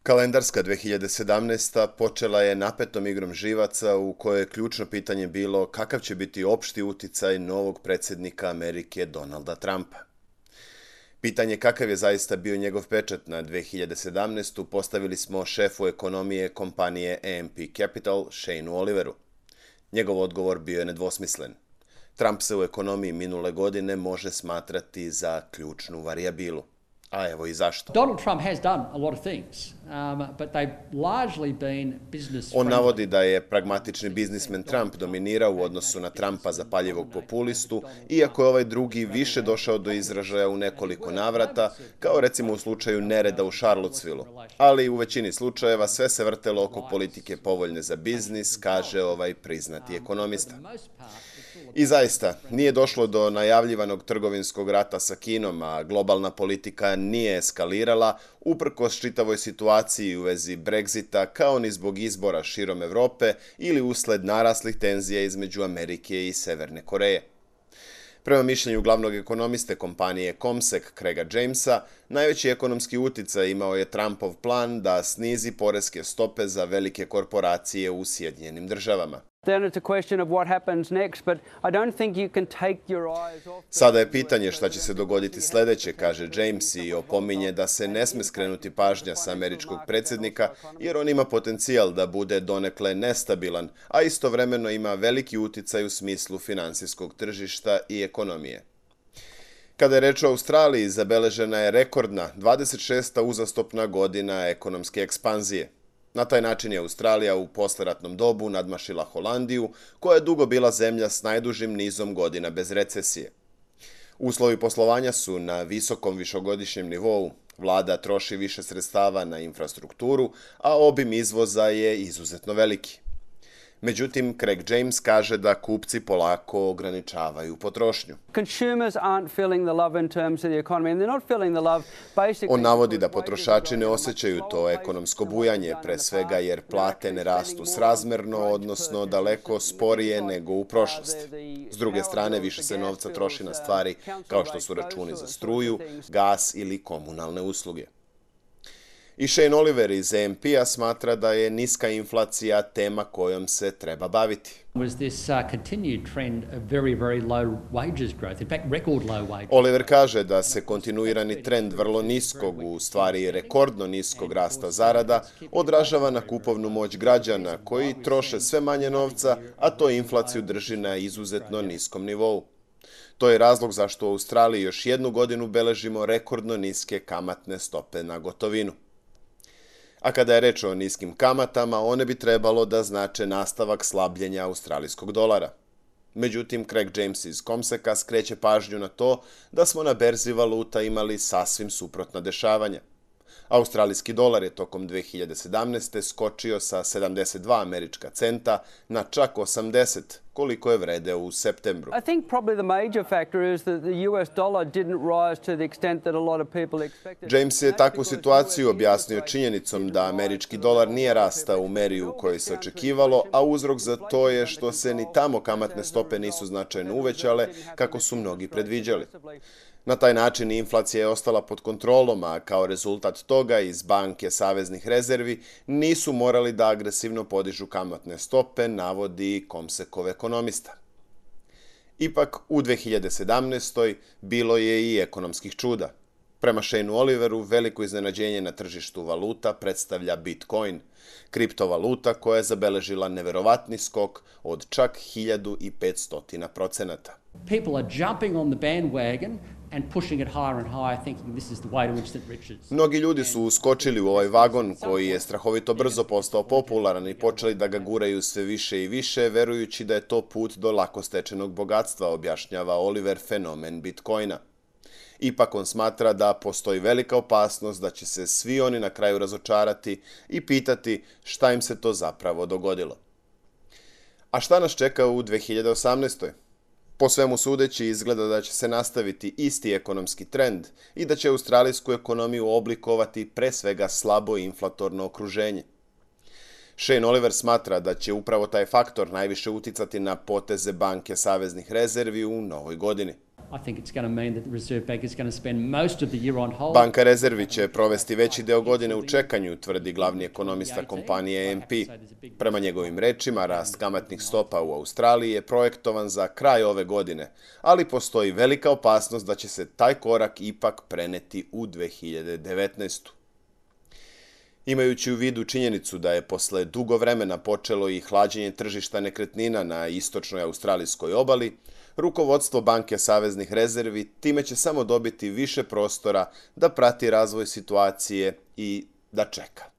Kalendarska 2017. počela je napetom igrom živaca u kojoj je ključno pitanje bilo kakav će biti opšti uticaj novog predsjednika Amerike Donalda Trumpa. Pitanje kakav je zaista bio njegov pečat na 2017. postavili smo šefu ekonomije kompanije AMP Capital, Shane'u Oliveru. Njegov odgovor bio je nedvosmislen. Trump se u ekonomiji minule godine može smatrati za ključnu varijabilu. A evo i zašto. Donald Trump has done a lot of things, but they've largely been business friendly. On navodi da je pragmatični biznismen Trump dominirao u odnosu na Trumpa zapaljivog populistu, iako je ovaj drugi više došao do izražaja u nekoliko navrata, kao recimo u slučaju nereda u Charlottesvilleu. Ali u većini slučajeva sve se vrtelo oko politike povoljne za biznis, kaže ovaj priznati ekonomista. I zaista, nije došlo do najavljivanog trgovinskog rata sa Kinom, a globalna politika nije eskalirala, uprkos čitavoj situaciji u vezi Brexita, kao ni zbog izbora širom Evrope ili usled naraslih tenzija između Amerike i Severne Koreje. Prema mišljenju glavnog ekonomiste kompanije Comsec, Craiga Jamesa, najveći ekonomski uticaj imao je Trumpov plan da snizi poreske stope za velike korporacije u Sjedinjenim Državama. Sada je pitanje šta će se dogoditi sljedeće, kaže James i opominje da se ne sme skrenuti pažnja sa američkog predsjednika jer on ima potencijal da bude donekle nestabilan, a istovremeno ima veliki uticaj u smislu finansijskog tržišta i ekonomije. Kada je reč o Australiji, zabeležena je rekordna 26. uzastopna godina ekonomske ekspanzije. Na taj način je Australija u posleratnom dobu nadmašila Holandiju, koja je dugo bila zemlja s najdužim nizom godina bez recesije. Uslovi poslovanja su na visokom višegodišnjem nivou, vlada troši više sredstava na infrastrukturu, a obim izvoza je izuzetno veliki. Međutim, Craig James kaže da kupci polako ograničavaju potrošnju. On navodi da potrošači ne osjećaju to ekonomsko bujanje, pre svega jer plate ne rastu srazmerno, odnosno daleko sporije nego u prošlosti. S druge strane, više se novca troši na stvari kao što su računi za struju, gas ili komunalne usluge. I Shane Oliver iz AMP-a smatra da je niska inflacija tema kojom se treba baviti. Oliver kaže da se kontinuirani trend vrlo niskog, u stvari rekordno niskog rasta zarada, odražava na kupovnu moć građana koji troše sve manje novca, a to inflaciju drži na izuzetno niskom nivou. To je razlog zašto u Australiji još jednu godinu beležimo rekordno niske kamatne stope na gotovinu. A kada je reč o niskim kamatama, one bi trebalo da znače nastavak slabljenja australijskog dolara. Međutim, Craig James iz Comseca skreće pažnju na to da smo na berzi valuta imali sasvim suprotna dešavanja. Australijski dolar je tokom 2017. skočio sa 72 američka centa na čak 80, koliko je vredeo u septembru. James je takvu situaciju objasnio činjenicom da američki dolar nije rastao u meri u kojoj se očekivalo, a uzrok za to je što se ni tamo kamatne stope nisu značajno uvećale kako su mnogi predviđali. Na taj način inflacija je ostala pod kontrolom, a kao rezultat toga iz banke saveznih rezervi nisu morali da agresivno podižu kamatne stope, navodi Comsecov ekonomista. Ipak, u 2017. bilo je i ekonomskih čuda. Prema Shane'u Oliveru, veliko iznenađenje na tržištu valuta predstavlja Bitcoin, kriptovaluta koja je zabeležila neverovatni skok od čak 1500%. People are jumping on the bandwagon and pushing it higher and higher, thinking this is the way to instant riches. Mnogi ljudi su uskočili u ovaj vagon koji je strahovito brzo postao popularan i počeli da ga guraju sve više i više, verujući da je to put do lako stečenog bogatstva, objašnjava Oliver fenomen Bitcoina. Ipak on smatra da postoji velika opasnost da će se svi oni na kraju razočarati i pitati šta im se to zapravo dogodilo. A šta nas čeka u 2018. Po svemu sudeći izgleda da će se nastaviti isti ekonomski trend i da će australijsku ekonomiju oblikovati pre svega slabo inflatorno okruženje. Shane Oliver smatra da će upravo taj faktor najviše uticati na poteze banke saveznih rezervi u novoj godini. I think it's going to mean that the Reserve Bank is going to spend most of the year on hold. Banka rezervi će provesti veći deo godine u čekanju, tvrdi glavni ekonomista kompanije AMP. Prema njegovim rečima, rast kamatnih stopa u Australiji je projektovan za kraj ove godine, ali postoji velika opasnost da će se taj korak ipak preneti u 2019. Imajući u vidu činjenicu da je posle dugo vremena počelo i hlađenje tržišta nekretnina na istočnoj australijskoj obali, rukovodstvo Banke saveznih rezervi time će samo dobiti više prostora da prati razvoj situacije i da čeka.